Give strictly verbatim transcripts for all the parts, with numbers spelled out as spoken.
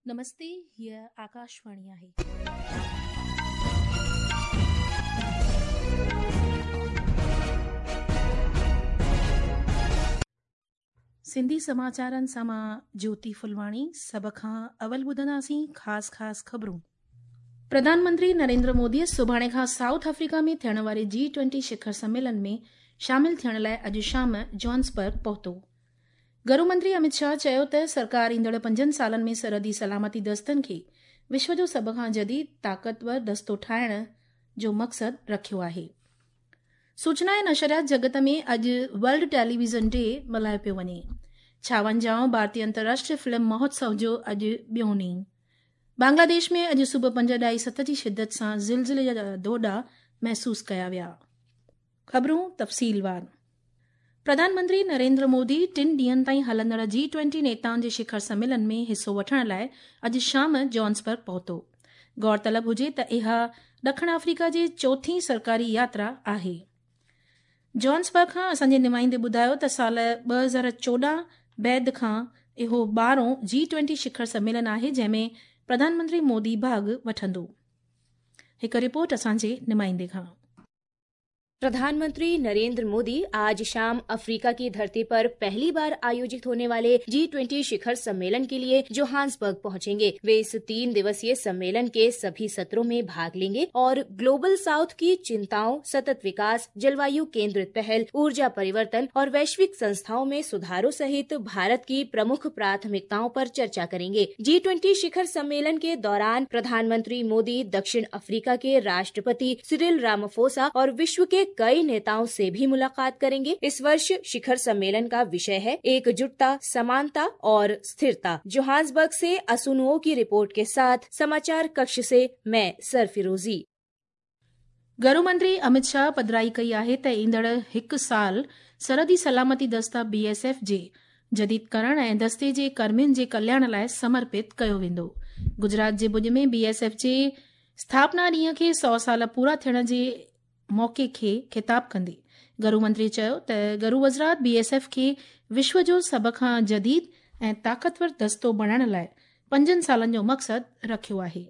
नमस्ते, हीअ आकाशवाणी आहे. सिंधी समाचारनि सां मां ज्योति फुलवाणी। सभ खां अवल ॿुधंदासीं ख़ासि ख़ासि ख़बरूं। प्रधानमंत्री नरेंद्र मोदीअ सुभाणे खां साउथ अफ्रीका में थियण वारे जी ट्वेंटी शिखर सम्मेलन में शामिल थियण लाइ अॼु शाम जोहान्सबर्ग पहुतो। गृह मंत्री अमित शाह चयो त सरकार ईंदड़ पंजनि सालनि में सरहदी सलामती दस्तनि खे विश्व जो सभ खां जदीद ताक़तवर दस्तो ठाहिण जो मक़सदु रखियो आहे। सूचना ऐं नशरियात जगत में अॼु वर्ल्ड टेलीविज़न डे मल्हायो पियो वञे। छावंजाहों भारतीय अंतर्राष्ट्रीय फिल्म महोत्सव जो अॼु ॿियों ॾींहुं। बांग्लादेश में अॼु सुबुह पंज ॾाई सत जी शिदत सां ज़िलज़िले जा दोॾा महसूस कया विया। ख़बरूं तफ़सीलवार। प्रधानमंत्री नरेंद्र मोदी टिनि ॾींहनि ताईं हलंदड़ जी ट्वेंटी नेताउनि जे शिखर सम्मेलन में हिसो वठण लाइ अॼु शाम जोहान्सबर्ग पहुतो। गौरतलब हुजे त इहा ॾखिण अफ्रीका जी चोथीं सरकारी यात्रा आहे। जोहान्सबर्ग खां असांजे नुमाइंदे ॿुधायो त साल ॿ हज़ार चोॾहं बैद खां इहो ॿारहों जी ट्वेंटी शिखर सम्मेलन आहे जंहिंमें प्रधानमंत्री मोदी भाॻ वठंदो। हिकु रिपोर्ट असांजे नुमाइंदे खां। प्रधानमंत्री नरेंद्र मोदी आज शाम अफ्रीका की धरती पर पहली बार आयोजित होने वाले जी ट्वेंटी शिखर सम्मेलन के लिए जोहान्सबर्ग पहुंचेंगे। वे इस तीन दिवसीय सम्मेलन के सभी सत्रों में भाग लेंगे और ग्लोबल साउथ की चिंताओं, सतत विकास, जलवायु केंद्रित पहल, ऊर्जा परिवर्तन और वैश्विक संस्थाओं में सुधारों सहित भारत की प्रमुख प्राथमिकताओं पर चर्चा करेंगे। जी ट्वेंटी शिखर सम्मेलन के दौरान प्रधानमंत्री मोदी दक्षिण अफ्रीका के राष्ट्रपति सिरिल रामाफोसा और विश्व के कई नेताओं से भी मुलाकात करेंगे। इस वर्ष शिखर सम्मेलन का विषय है एकजुटता, समानता और स्थिरता। जोहान्सबर्ग से असुनुओ की रिपोर्ट के साथ समाचार कक्ष से मैं सरफिरोजी। गृह मंत्री अमित शाह पधराई कई आहे त ईंदड़ हिकु साल सरहदी सलामती दस्ता बी एस एफ जे जदीद करण ऐं दस्ते जे कर्मियुनि जे कल्याण लाइ समर्पित कयो वेंदो। गुजरात जे भुज में बी एस एफ जे स्थापना ॾींहं खे सौ साल पूरा थियण जे मौक़े खे ख़िताब कंदे गृह मंत्री चयो त गृह वज़ारत बी एस एफ खे विश्व जो सभ खां जदीद ऐं ताक़तवर दस्तो बणाइण लाइ पंजनि सालनि जो मक़सदु रखियो आहे।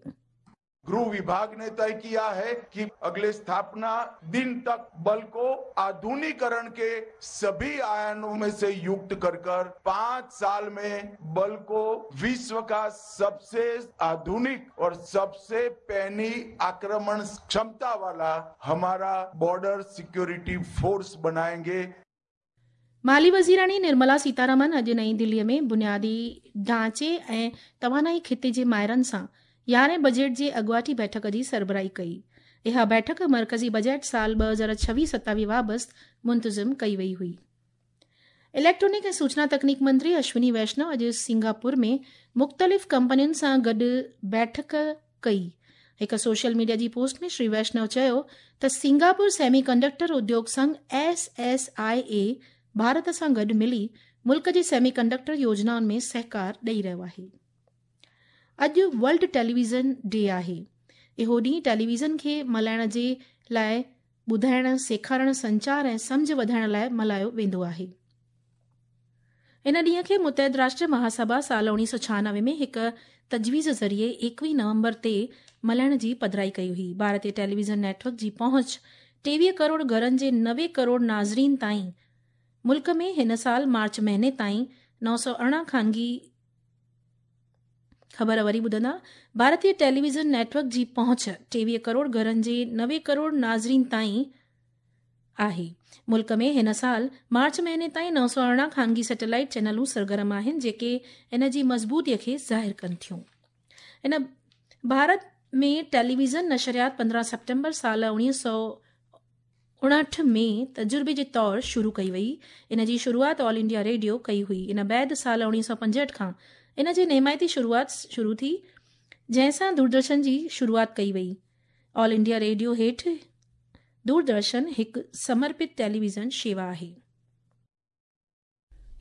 गृह विभाग ने तय किया है कि अगले स्थापना दिन तक बल को आधुनिकीकरण के सभी आयामों में से युक्त कर कर पांच साल में बल को विश्व का सबसे आधुनिक और सबसे पैनी आक्रमण क्षमता वाला हमारा बॉर्डर सिक्योरिटी फोर्स बनाएंगे। माली वज़ीराणी निर्मला सीतारमन अॼु नई दिल्लीअ में बुनियादी ढांचे ऐं तवानाई खिते जे माहिरनि सां यारहें बजट जे अॻुवाटी बैठक जी सरबराही कई। इहा बैठक मरकज़ी बजट साल ॿ हज़ार छवीह सतावीह वाबस्त मुंतज़िम कई वई हुई। इलेक्ट्रॉनिक ऐं सूचना तकनीक मंत्री अश्विनी वैष्णव अॼु सिंगापुर में मुख़्तलिफ़ कंपनियुनि सां गॾु बैठक कई। हिकु सोशल मीडिया जी पोस्ट में श्री वैष्णव चयो त सिंगापुर सेमी कंडक्टर उद्योग संघ एस एस I ए भारत सां गॾु मिली मुल्क जी सेमी कंडक्टर योजनाउनि में सहकार ॾेई रहियो आहे। अॼु वर्ल्ड टेलीविज़न डे आहे। इहो ॾींहुं टेलीविज़न खे मल्हाइण जे लाइ ॿुधाइण, सेखारण, संचार ऐं सम्झ वधाइण लाइ मल्हायो वेंदो आहे। इन ॾींहं खे मुतहद राष्ट्र महासभा साल उणिवीह सौ छहानवे में हिकु तजवीज़ ज़रिए एकवीह नवंबर ते मल्हाइण जी पधराई कई हुई। भारतीय टेलीविज़न नेटवर्क जी पहुंच टेवीह करोड़ घरनि जे नवे करोड़ नाज़रीन ताईं मुल्क में हिन साल मार्च महीने ताईं नौ सौ अरिड़हं ख़ानगी ख़बर वरी ॿुधंदा। भारतीय टेलीविज़न नेटवर्क जी पहुंच टेवीह करोड़ घरनि जे नवे करोड़ नाज़रीन ताईं आहे। मुल्क में हिन साल मार्च महीने ताईं नौ सौ अरिड़हं ख़ानगी सैटेलाइट चैनलूं सरगर्म आहिनि, जेके इन जी मज़बूतीअ खे ज़ाहिर कनि थियूं। इन भारत में टेलीविज़न नशरियात पंद्रहं सितंबर साल उणिवीह सौ उणहठि में तजुर्बे जे तौर शुरू कई वई। इन जी शुरूआत ऑल इंडिया रेडियो कई हुई। इन बाद साल उणिवीह सौ पंजहठि खां इन जी निमायती शुरूआत शुरू थी, जंहिं सां दूरदर्शन जी शुरूआत कई वई। ऑल इंडिया रेडियो हेठि दूरदर्शन हिकु समर्पित टेलीविज़न शेवा आहे।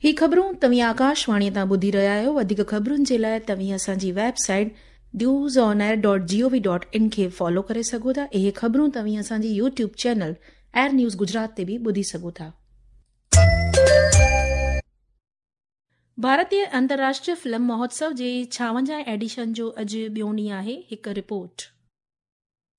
ही ख़बरूं तव्हीं आकाशवाणी तां ॿुधी रहिया आहियो। वधीक ख़बरुनि जे लाइ तव्हीं असांजी website news on air dot G O V dot in खे फॉलो करे सघो था। इहे ख़बरूं तव्हीं असांजी YouTube channel air news Gujarat ते बि ॿुधी सघो था। भारतीय अंतर्राष्ट्रीय फिल्म महोत्सव जे छावंजाह एडिशन जो अॼु ॿियो ॾींहुं आहे। हिकु रिपोर्ट।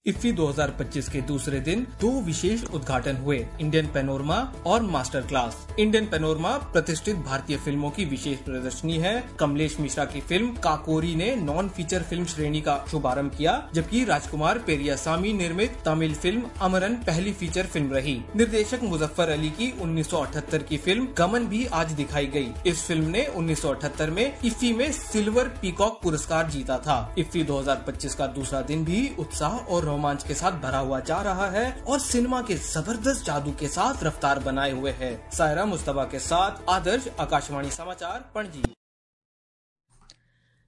इफ्फी दो हज़ार पच्चीस के दूसरे दिन दो विशेष उद्घाटन हुए, इंडियन पैनोरमा और मास्टर क्लास। इंडियन पैनोरमा प्रतिष्ठित भारतीय फिल्मों की विशेष प्रदर्शनी है। कमलेश मिश्रा की फिल्म काकोरी ने नॉन फीचर फिल्म श्रेणी का शुभारंभ किया, जबकि राजकुमार पेरियासामी निर्मित तमिल फिल्म अमरन पहली फीचर फिल्म रही। निर्देशक मुजफ्फर अली की उन्नीस सौ अठहत्तर की फिल्म गमन भी आज दिखाई गई। इस फिल्म ने उन्नीस सौ अठहत्तर में इफ्फी में सिल्वर पीकॉक पुरस्कार जीता था। इफ्फी दो हज़ार पच्चीस का दूसरा दिन भी उत्साह और रोमांच के साथ भरा हुआ जा रहा है और सिनेमा के जबरदस्त जादू के साथ रफ्तार बनाए हुए है। सायरा मुस्तफा के साथ आदर्श, आकाशवाणी समाचार, पणजी।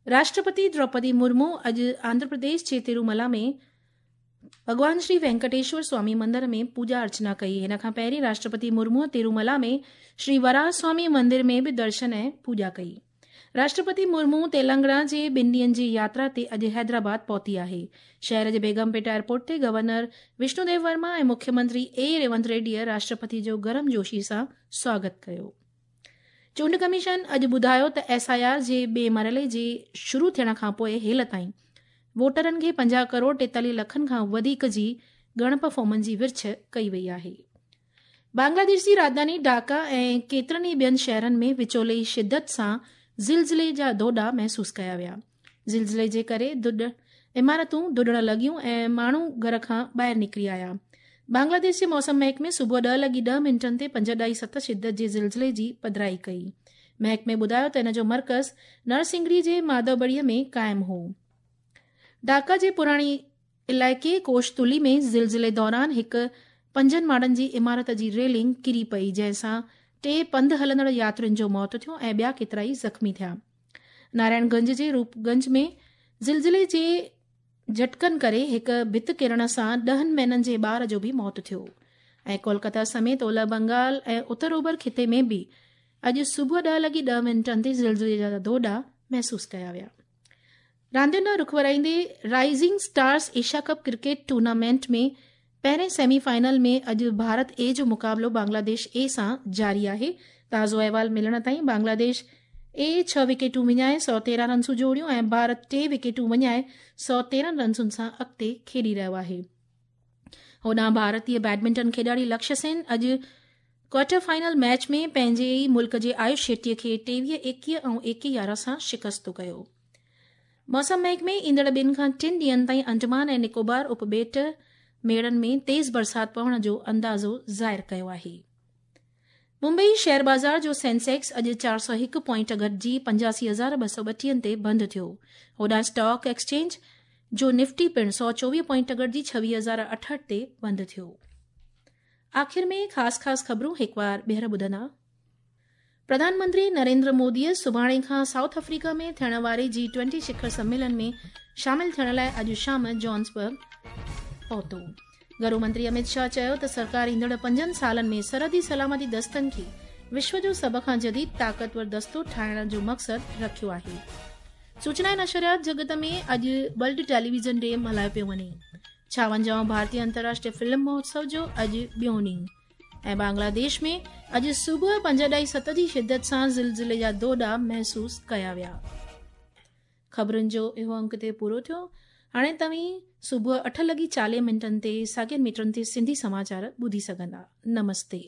राष्ट्रपति द्रौपदी मुर्मू अॼु आंध्र प्रदेश जे तिरुमला में भॻवान श्री वेंकटेश्वर स्वामी मंदिर में पूजा अर्चना कई। हिन खां पहिरीं राष्ट्रपति मुर्मू तिरुमला में श्री वराह स्वामी मंदिर में बि दर्शन ऐं पूजा कई। राष्ट्रपति मुर्मू तेलंगाना जे ॿिनि ॾींहंनि जी यात्रा ते अॼु हैदराबाद पहुती आहे। शहर जे बेगमपेट एयरपोर्ट ते गवर्नर विष्णुदेव वर्मा ऐं मुख्यमंत्री ए रेवंत रेड्डीअ राष्ट्रपति जो गरम जोशी सां स्वागत कयो। चूंड कमीशन अॼु ॿुधायो त एस I R जे ॿिए मरहले जे शुरू थियण खां पोइ हेल ताईं वोटरनि खे पंजाह करोड़ टेतालीह लखनि खां वधीक जी ॻणप फॉर्मनि जी विर्छ कई वई आहे। बांग्लादेश जी राजधानी ढाका ऐं केतिरनि ई ॿियनि शहरनि में विचोले शिदत सां ज़िलज़िले जा दोॾा महसूस कया विया। ज़िलज़िले जे करे दुॾ इमारतूं दुॾण लॻियूं ऐं माण्हू घर खां ॿाहिरि निकिरी आया। बांग्लादेश जे मौसम महकमे सुबुह ॾह लॻी ॾह मिंटनि ते पंज ॾाई सत शिदत जे ज़िलज़िले जी पधराई कई। महकमे ॿुधायो त इन जो मर्कज़ नरसिंगड़ी जे माधवबड़ीअ में क़ाइमु हो। ढाका जे पुराणे इलाइक़े कोशतुली में ज़िलज़िले दौरान हिकु पंजनि माड़नि जी इमारत जी रेलिंग किरी पई, जंहिंसां टे पंध हलंदड़ यात्रियुनि जो मौत थियो ऐं ॿिया केतिरा ई ज़ख़्मी थिया। नारायणगंज जे रूपगंज में ज़िलज़िले जे झटकनि करे हिकु भित किरण सां ॾहनि महीननि जे ॿार जो बि मौत थियो। ऐं कोलकाता समेत ओलह बंगाल ऐं उत्तर ओभर ख़िते में बि अॼु सुबुह ॾह लॻी ॾह मिंटनि ते ज़िलज़िले जा दोॾा महसूस कया विया। रांदियुनि ॾांहुं रुख वराईंदे rising stars Asia cup cricket tournament में पहिरें सेमीफाइनल में अॼु भारत ए जो मुक़ाबिलो बांग्लादेश ए सां जारी आहे। ताज़ो अहवाल मिलण ताईं बांग्लादेश ए छह विकेटूं विञाए सौ तेरहं रनसूं जोड़ियूं ऐं भारत टे विकेटूं विञाए सौ तेरहं रनसुनि सां अॻिते खेॾी रहियो आहे। होॾां भारतीय बैडमिंटन खेॾाड़ी लक्ष्य सेन अॼु क्वार्टर फाइनल मैच में पंहिंजे ई मुल्क जे आयुष शेट्टीअ खे टेवीह एकवीह ऐं एकवीह यारहं सां शिकस्त कयो। मौसम महकमे ईंदड़ ॿिनि खां टिनि ॾींहंनि ताईं अंडमान ऐं निकोबार उपॿेट मेड़नि में तेज़ बरसाति पवण जो अंदाज़ो ज़ाहिर कयो आहे। मुंबई शेयर बाज़ार जो सेंसेक्स अॼु चारि सौ हिकु पॉइंट घटिजी पंजासी हज़ार ॿ सौ ॿटीहनि ते बंदि थियो। होॾां स्टॉक एक्सचेंज जो निफ्टी पिणु सौ चोवीह पॉइंट घटिजी छवीह हज़ार अठहठि ते बंदि थियो। आख़िर में ख़ासि ख़ासि ख़बरूं हिकु बार ॿीहर ॿुधंदा। प्रधानमंत्री नरेंद्र मोदीअ सुभाणे खां साउथ अफ्रीका में थियण वारे जी ट्वेंटी शिखर सम्मेलन में शामिल थियण लाइ अॼु शाम जॉन्सबर्ग पहुतो। घरू मंत्री अमित शाह चयो त सरकार ईंदड़ पंजनि सालनि में सरहदी सलामती दस्तनि खे विश्व जो सभ खां जदीद ताक़तवर दस्तो ठाहिण जो मक़सदु रखियो आहे। सूचना ऐं नशरियात जगत में अॼु वर्ल्ड टेलीविज़न डे मल्हायो पियो वञे। छावंजाहों भारतीय अंतर्राष्ट्रीय फिल्म महोत्सव जो अॼु ॿियो ॾींहुं। ऐं बांग्लादेश में अॼु सुबुह पंज ॾाई सत जी शिदत सां ज़िलज़िले जा दोॾा महसूस कया विया। ख़बरुनि जो इहो अंक ते पूरो थियो। हाणे तव्हीं सुबुह अठ लॻी चालीह मिंटनि ते साॻियनि मीटरनि ते सिंधी समाचार ॿुधी सघंदा। नमस्ते।